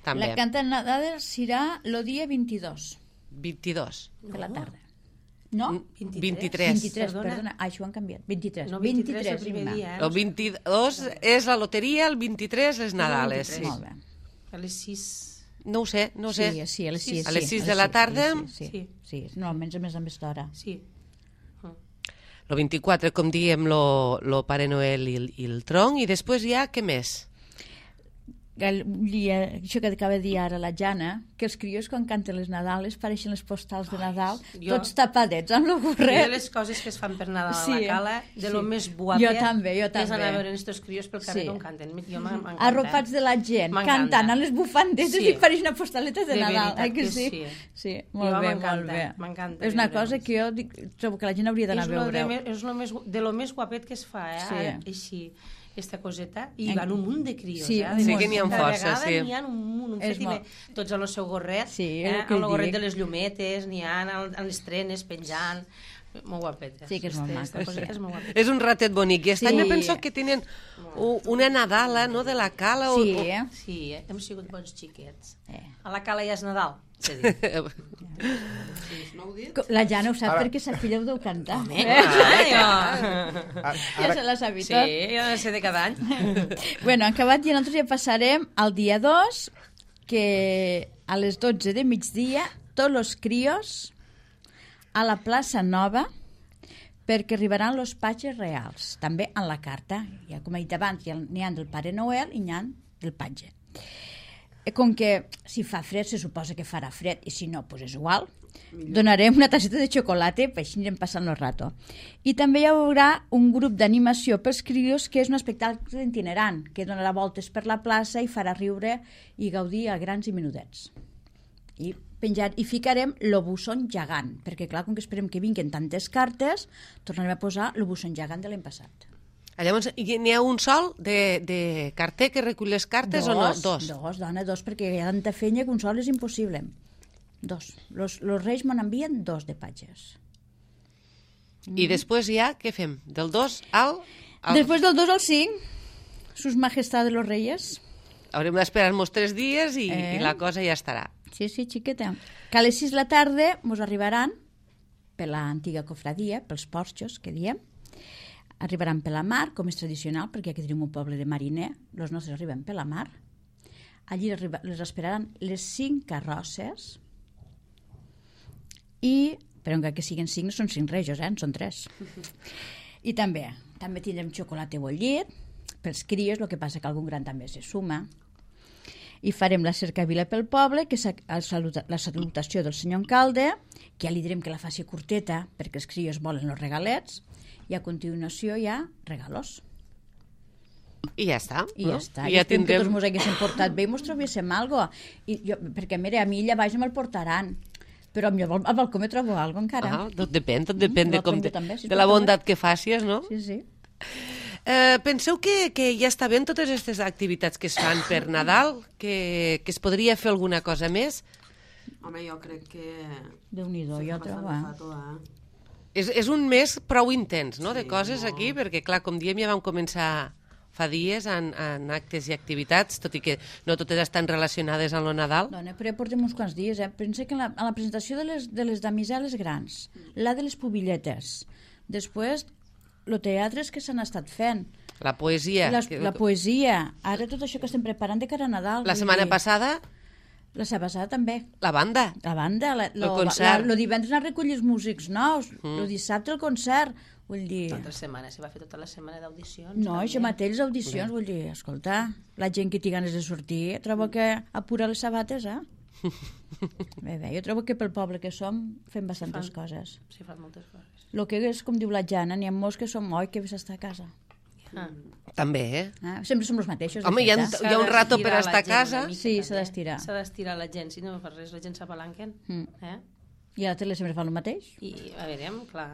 També. La cantada de Nadales serà el dia 22 22. de la tarda. No? 23. 23, perdona. Això ho han canviat. 23. No, 23 el és primer demà. dia. El 22 és la loteria, el 23 les Nadales. Sí. Molt bé. A les 6. No ho sé. Sí, a les 6. A les 6 de la tarda? Sí. Normalment és a més d'hora. Sí. El 24, com diem, lo Pare Noel i el tronc, i després ja, què més? Això que acaba de dir ara la Jana, que els crios quan canten les Nadales pareixen les postals de Nadal, tots tapadets amb el gorret. De les coses que es fan per Nadal a la cala, de lo més guapet, jo també. és anar a veure estos crios pel carrer com canten. Jo m'encanta. Arropats de la gent, cantant amb les bufandetes i pareix una postaleta de Nadal. De veritat que sí. Sí, molt bé. M'encanta. És una cosa que jo trobo que la gent hauria d'anar a veure. És de lo més guapet que es fa, així. Aquesta coseta, i van un munt de crios. Sí que n'hi ha força, sí. N'hi ha un munt, tots amb el seu gorret, amb el gorret de les llumetes, n'hi ha amb les trenes penjant, molt guapetes. Sí que és molt maco. És un ratet bonic, i aquest any me penso que tenen una Nadala, no?, de la cala. Sí, hem sigut bons xiquets. A la cala ja és Nadal. La Jana ho sap perquè sa filla ho deu cantar. Ja se la sabi tot. Sí, jo no sé de cada any. Bueno, han acabat i nosaltres ja passarem al dia 2, que a les 12 de migdia tots els crios a la plaça Nova, perquè arribaran els patges reals, també en la carta. Ja, com he dit abans, n'hi ha del Pare Noel i n'hi ha del patge. Com que si fa fred, se suposa que farà fred, i si no, doncs és igual, donarem una tasseta de xocolata, per així anirem passant el rato. I també hi haurà un grup d'animació pels crios, que és un espectacle itinerant, que donarà voltes per la plaça i farà riure i gaudir a grans i menudets. I ficarem el busson gegant, perquè clar, com que esperem que vinguin tantes cartes, tornarem a posar el busson gegant de l'any passat. Llavors, n'hi ha un sol de carter que recull les cartes o no? Dos, dona, dos, perquè hi ha tanta feina que un sol és impossible. Dos. Los reis me n'envien dos de patges. I després ja, què fem? Del 2 al... Després del 2 al 5, sus majestades los reyes. Haurem d'esperar-nos 3 dies i la cosa ja estarà. Sí, xiqueta. Que a les 6 de la tarda ens arribaran per l'antiga cofradia, pels porxos, que diem. Arribaran per la mar, com és tradicional, perquè aquí tenim un poble de mariner, els nostres arriben per la mar. Allí les esperaran les 5 carrosses i, però encara que siguin 5, no són 5 rejos, en són 3. I també tindrem xocolata bollit pels crios, el que passa que algun gran també se suma. I farem la cercavila pel poble, que és la salutació del senyor alcalde, que ja li direm que la faci curteta, perquè els crios volen els regalets, i a continuació hi ha regalos. I ja està. I ja tindrem... que tots ens haguéssim portat bé i ens trobéssim alguna cosa. Perquè, mira, a mi allà baix me'l portaran, però al balcó me trobo alguna cosa encara. Tot depèn de la bondat que facis, no? Sí. Penseu que ja està bé totes aquestes activitats que es fan per Nadal, que es podria fer alguna cosa més? Home, jo crec que... Déu-n'hi-do, jo trobo. És un mes prou intens, no?, de coses aquí, perquè, clar, com diem, ja vam començar fa dies en actes i activitats, tot i que no totes estan relacionades amb el Nadal. Dona, però ja portem uns quants dies, Pensa que a la presentació de les damiseles grans, la de les pubilletes, després els teatres que s'han estat fent, la poesia. La poesia, ara tot això que estem preparant de cara a Nadal. La setmana passada... La setmana passada també. La banda. El concert. El divendres han recollit els músics nous, el dissabte el concert. Vull dir... Tota la setmana, se va fer tota la setmana d'audicions. No, això mateix, les audicions, vull dir, escolta, la gent que té ganes de sortir, trobo que apura les sabates, Bé, jo trobo que pel poble que som fem bastantes coses. Sí, fan moltes coses. El que és, com diu la Jana, n'hi ha molts que som que ves a estar a casa. També, sempre som els mateixos. Home, hi ha un rato per estar a casa. Sí, s'ha d'estirar. S'ha d'estirar la gent, si no fa res, la gent s'apalanquen. I a la tele sempre fa el mateix. I a veure, clar.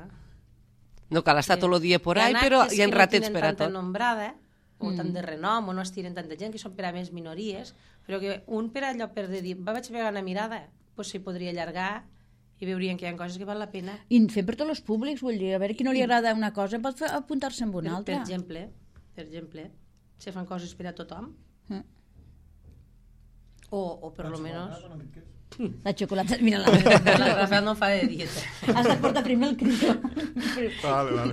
No cal estar tot el dia por ahí, però hi ha ratets per a tot. Hi ha tanta nombrada, o tant de renom, o no estiren tanta gent, que són per a més minories, però que un per allò per de dir, vaig pegar una mirada, doncs s'hi podria allargar i i veurien que hi ha coses que val la pena. I fem per tots els públics, vull dir, a veure qui no li agrada una cosa pot apuntar-se amb una altra. Per exemple, se fan coses per a tothom. O per lo menos... La xocolata, mira la... La Rafael no fa de dieta. Has de portar primer el crido. Vale.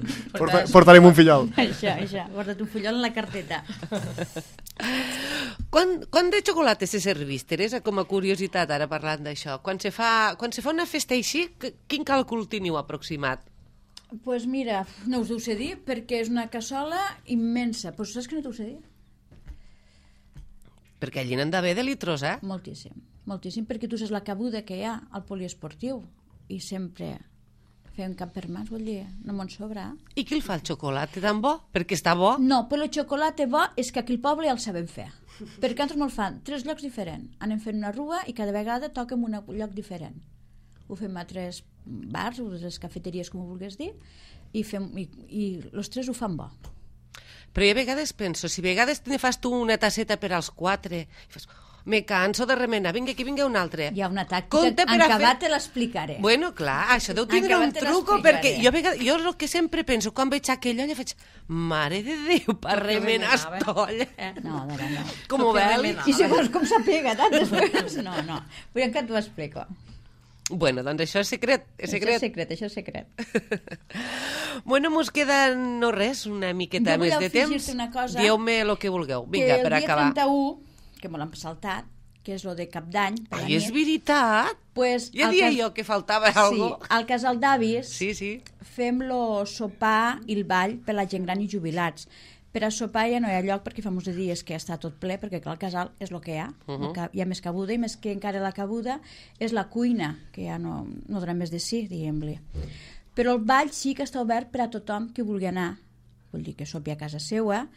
Portarem un fillol. Això. Porta't un fillol en la carteta. Quan de xocolata se servís, Teresa, com a curiositat, ara parlant d'això? Quan se fa una festa així, quin càlcul teniu aproximat? Pues mira, no us ho sé dir, perquè és una cassola immensa. Pues saps que no t'ho sé dir? Perquè allí n'han d'haver de litros, eh? Moltíssim, perquè tu saps la cabuda que hi ha al poliesportiu i sempre fem cap per mans, vull dir, no me'n sobra. I qui el fa el xocolata tan bo? Perquè està bo? No, però el xocolata bo és que aquí al poble ja el sabem fer. Perquè nosaltres me'l fan 3 llocs diferents. Anem fent una rua i cada vegada toquem un lloc diferent. Ho fem a 3 bars, o 3 cafeteries, com ho vulguis dir, i els 3 ho fan bo. Però jo a vegades penso, si a vegades ne fas tu una tasseta per als 4, me canso de remenar, vinga, aquí vinga un altre. Hi ha una tàctica, en acabat te l'explicaré. Bueno, clar, això deu tindre un truco, perquè jo el que sempre penso, quan veig aquella olla, faig, mare de Déu, per remenar estolla. No. Com ho veus? I segons com s'apega, tant després. No, vull que t'ho explico. Bueno, doncs això és secret. Això és secret. Bueno, mos queda no res, una miqueta més de temps. Dieu-me el que vulgueu. Vinga, per acabar. Que el dia 31, que me l'han saltat, que és lo de Cap d'Any. Ai, és veritat? Pues, ja dia jo que faltava alguna cosa. Sí, al Casal d'Avis fem lo sopar i el ball per la gent gran i jubilats. Per a sopar ja no hi ha lloc perquè fa molts dies que està tot ple, perquè clar, el casal és el que hi ha. Hi ha més cabuda i més que encara la cabuda és la cuina, que ja no donarà més de sí, diguem-li. Però el ball sí que està obert per a tothom que vulgui anar. Vull dir que sopi a casa seva,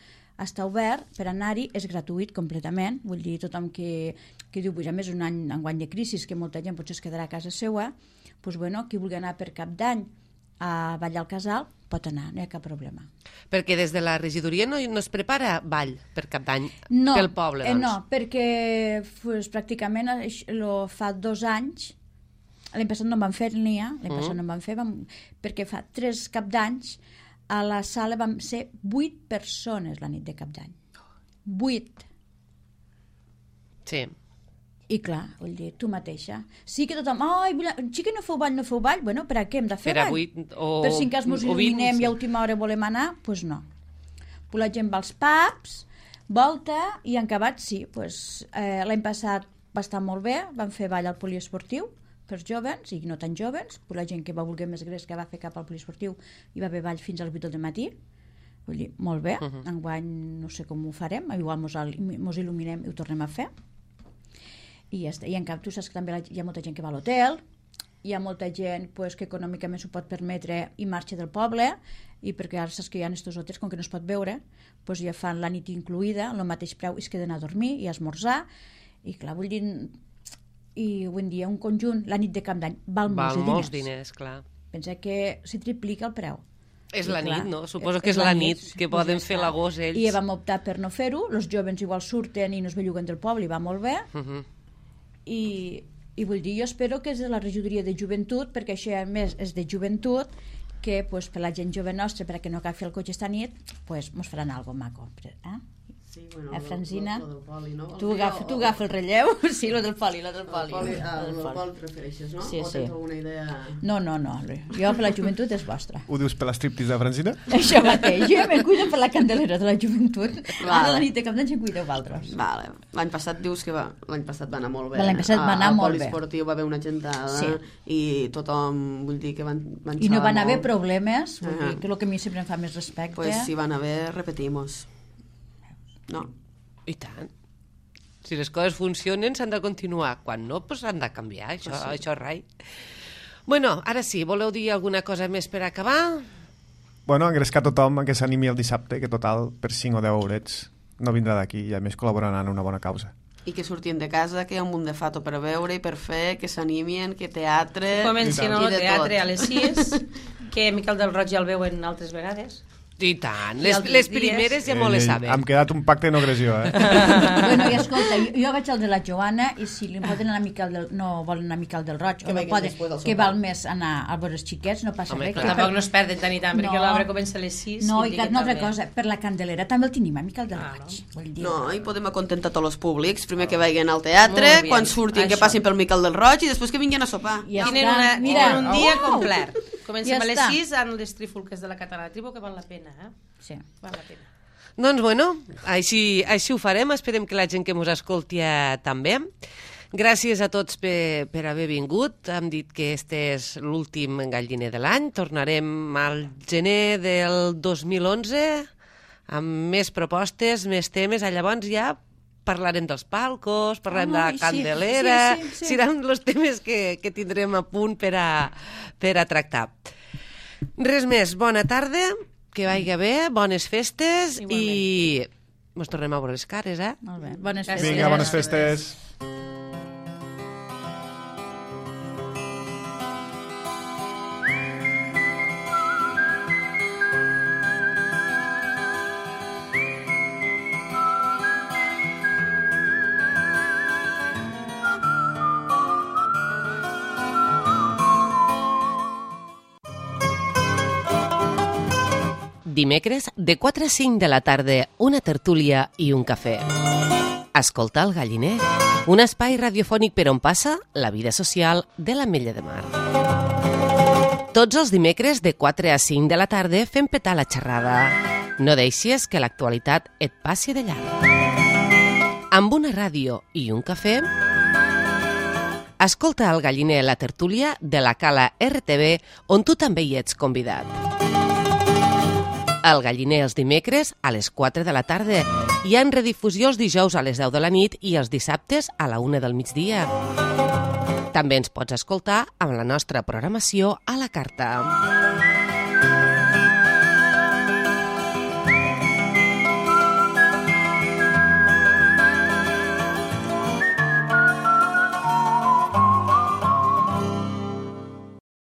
està obert per anar-hi, és gratuït completament. Vull dir, tothom que diu, a més un any enguany de crisi, que molta gent potser es quedarà a casa seva, doncs bueno, qui vulgui anar per Cap d'Any a ballar al casal, pot anar, no hi ha cap problema. Perquè des de la regidoria no es prepara ball per Cap d'Any pel poble, doncs? No, perquè pràcticament fa 2 anys, l'any passat no en van fer perquè fa 3 Cap d'Anys a la sala vam ser 8 persones la nit de Cap d'Any. 8. Sí. I clar, vull dir, tu mateixa. Sí que tothom, xica, no feu ball? Bueno, per a què hem de fer ball? Per si en cas mos il·luminem i a última hora volem anar, doncs no. La gent va als pubs, volta, i en acabat sí. L'any passat va estar molt bé, vam fer ball al poliesportiu, per joves i no tan joves, la gent que va voler més gres que va fer cap al poliesportiu i va haver ball fins a les 8 del matí. Vull dir, molt bé, enguany no sé com ho farem, igual mos il·luminem i ho tornem a fer. I en cap, tu saps que també hi ha molta gent que va a l'hotel, hi ha molta gent que econòmicament s'ho pot permetre i marxa del poble, i perquè ara saps que hi ha estos hotels, com que no es pot veure, ja fan la nit incluïda, el mateix preu es queden a dormir i a esmorzar, i clar, vull dir, i avui en dia un conjunt, la nit de Cap d'Any, val molts diners. Clar. Pensa que s'hi triplica el preu. És la nit, no? Suposo que és la nit que poden fer l'agost ells. I vam optar per no fer-ho, els joves igual surten i no es belluguen del poble i va molt bé, i vull dir, jo espero que és de la regidoria de joventut, perquè això a més és de joventut, que per la gent jove nostra, perquè no agafi el cotxe esta nit, mos faran alguna cosa maco. Sí, bueno, Francina, lo del poli, no? Tu agafa el relleu. Sí, lo del poli. El poli et refereixes, no? Sí, o tens alguna idea? No. Jo per la joventut és vostra. Ho dius per l'estriptease de Francina? Això mateix. Jo me'n cuido per la candelera de la joventut. Ara la nit de Cap d'Any se'n cuideu vosaltres. Vale. L'any passat dius que l'any passat va anar molt bé. L'any passat va anar molt bé. Al poliesportiu va haver una gentada i tothom, vull dir que van xavar molt. I no van haver problemes, vull dir que el que a mi sempre em fa més respecte. Pues si van haver, repetimos. No. I tant. Si les coses funcionen, s'han de continuar. Quan no, s'han de canviar. Això és rai. Bueno, ara sí, voleu dir alguna cosa més per acabar? Bueno, engrescar tothom que s'animi el dissabte, que total, per 5 o 10 eurets, no vindrà d'aquí i a més col·laboraran en una bona causa. I que surtin de casa, que hi ha un munt de fato per veure i per fer, que s'animin, que teatre... Comencin el teatre a les 6, que Miquel del Roig ja el veuen altres vegades. I tant, les primeres ja molt les saben. Hem quedat un pacte de no agressió, Bueno, i escolta, jo vaig al de la Joana i si li poden anar a Miquel no volen anar a Miquel del Roig, o no poden, que val més anar a veure els xiquets, no passa res. Tampoc no es perden tant i tant, perquè l'obra comença a les 6. No, i una altra cosa, per la Candelera també el tenim a Miquel del Roig. No, i podem acontentar tots els públics, primer que vagin al teatre, quan surtin que passin pel Miquel del Roig i després que vinguin a sopar. Tenen un dia complet. Comencem a les 6 amb les trifulques de la Catalana Tribu, que val la pena, Sí. Val la pena. Doncs bueno, així ho farem, esperem que la gent que ens escolti també. Gràcies a tots per haver vingut, hem dit que este és l'últim galliner de l'any, tornarem al gener del 2011 amb més propostes, més temes, llavors ja parlarem dels palcos, parlarem de la Candelera, seran els temes que tindrem a punt per a tractar. Res més, bona tarda, que vagi bé, bones festes. Igualment. I ens tornem a veure les cares, Molt bé, bones festes. Vinga, bones festes. Dimecres, de 4 a 5 de la tarda, una tertúlia i un cafè. Escolta el Galliner, un espai radiofònic per on passa la vida social de l'Ametlla de Mar. Tots els dimecres, de 4 a 5 de la tarda, fem petar la xerrada. No deixis que l'actualitat et passi de llarg. Amb una ràdio i un cafè, escolta el Galliner, la tertúlia de la Cala RTV, on tu també hi ets convidat. El Galliner els dimecres a les 4 de la tarda i en redifusió els dijous a les 10 de la nit i els dissabtes a la 1 del migdia. També ens pots escoltar amb la nostra programació a la carta.